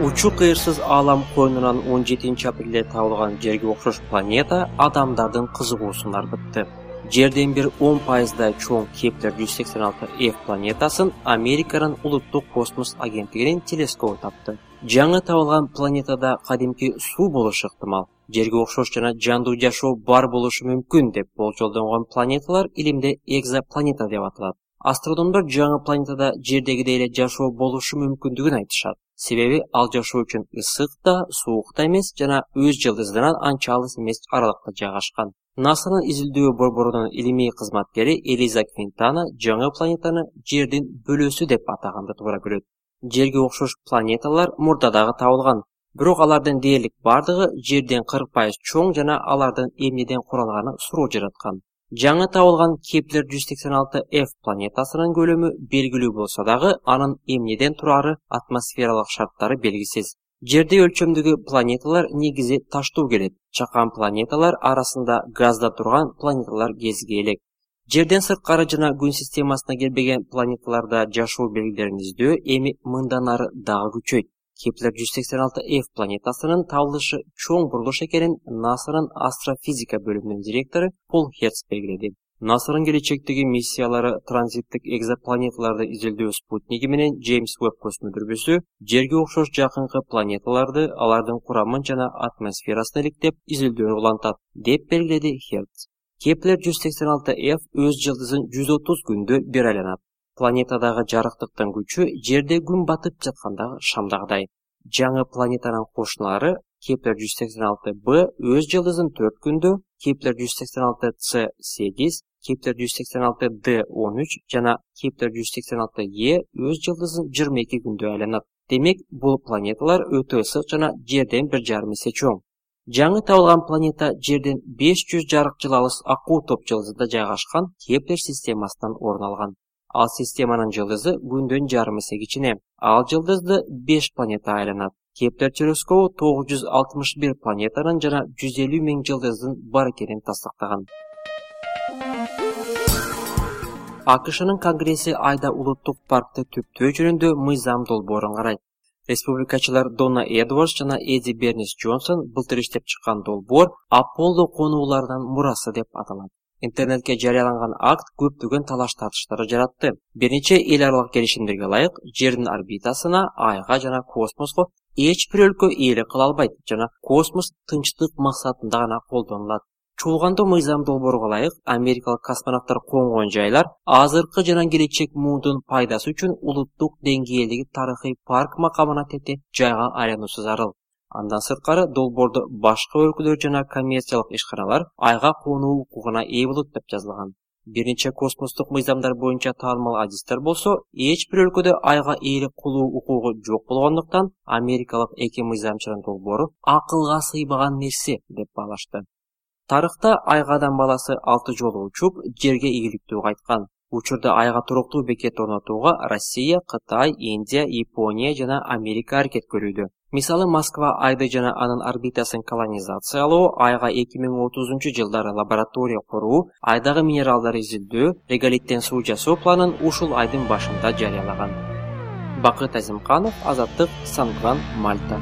Учу кыйырсыз аалам койнунан 17 апрелде табылган жерге окшош планета адамдардын кызыгуусун арбытты. Жерден бир 10%дай чоң Кеплер 186f планетасын Американын улуттук космос агенттигинин телескобу тапты. Жаңы табылган планетада кадимки суу болушу ыктымал. Жерге окшош жана жандуу жашоо бар болушу мүмкүн деп болжолдонгон планеталар илимде экзопланета деп аталат. Астрономдор жаңы планетада жердегидей эле жашоо болушу мүмкүндүгүн айтышат. Себеби ал жашоо үчүн ысык да, суук да эмес жана өз жылдызынан анча алыс эмес аралыкта жайгашкан. НАСАнын изилдөө борборунун илимий кызматкери Элиза Квинтана жаңы планетаны жердин бөлөсү деп атаганды туура көрөт. Жерге окшош планеталар мурда дагы табылган, бирок алардын дээрлик бардыгы жерден 40% чоң жана алардын эмнеден куралганы суроо жараткан. Жаңы табылган Кеплер 186f планетасынын көлөмү белгилүү болсо дагы, анын эмнеден турары, атмосфералык шарттары белгисиз. Жерде өлчөмдөгү планеталар негизи таштуу келет. Чакан планеталар арасында газда турган планеталар кезиге элек. Жерден сырткары жана күн системасына келбеген планеталарда жашоо белгилерин издөө эми мындан ары дагы күчөйт. Кеплер 186f планетасынын табылышы чоң бурулуш экенин НАСАнын астрофизика бөлүмүнүн директору Пол Херц белгиледи. НАСАнын келечектеги миссиялары транзиттик экзопланеталарды изилдөө спутниги менен Джеймс Веб космодүрбүсү жерге окшош жакынкы планеталарды, алардын курамын жана атмосферасын иликтеп изилдөөнү улантат, деп белгиледи Херц. Кеплер 186f өз жылдызын 130 күндө бир айланат. Планетадагы жарыктыктын күчү жерде күн батып жаткандагы шамдагыдай. Жаңы планетанын кошуналары Кеплер 186b өз жылдызын 4 күндө, Кеплер 186c8, Кеплер 186d13 жана Кеплер 186e өз жылдызын 22 күндө айланат. Демек, бул планеталар өтө ысык жана жерден 1,5 эсе чоң. Жаңы табылган планета жерден 500 жарык жыл алыс Акуу топ жылдызында жайгашкан Кеплер системасынан орун алган. Ал системанын жылдызы күндөн жарым эсе кичине. Ал жылдызды 5 планета айланат. Кеплер телескобу 961 планетанын жана 150 миң жылдыздын бар экенин тастыктаган. АКШнын Конгресси Айда улуттук паркты түптөө жөнүндө мыйзам долбоорун карайт. Республикачылар Дона Эдвардс жана Эди Бернис Джонсон былтыр иштеп чыккан долбоор Аполло конууларынын мурасы деп аталат. Интернетке жарыяланган акт көптөгөн талаш-тартыштарды жаратты. Бир нече эл аралык келишимдерге ылайык, жердин орбитасына, айга жана космоско эч бир өлкө ээлик кыла албайт жана космос тынчтык максатында гана колдонулат. Чуулгандуу мыйзам долбоорго ылайык, америкалык космонавттар конгон жайлар азыркы жана келечек муундун пайдасы үчүн улуттук деңгээлдеги тарыхый парк макамына тете жайга айлануусу зарыл. Андан сырткары долбоордо башка өлкөлөр жана коммерциялык ишканалар айга конуу укугуна ээ болот деп жазылган. Бир нече космостук мыйзамдар боюнча таанымал адистер болсо, эч бир өлкөдө айга ээлик кылуу укугу жок болгондуктан америкалык эки мыйзамчынын долбоору акылга сыйбаган нерсе деп баалашты. Тарыхта айга адам баласы 6 жолу учуп, жерге ийгиликтүү кайткан. Учурда айга туруктуу бекет орнотууга Россия, Кытай, Индия, Япония жана Америка аракет көрүүдө. Мисалы, Москва айды жана анын орбитасын колонизациялоо, айга 2030-жылдары лаборатория куруу, айдагы минералдарды изилдөө, реголиттен суу жасоо планын ушул айдын башында жарыялаган. Бакыт Азимканов, Азаттык, Сан-Жуан, Мальта.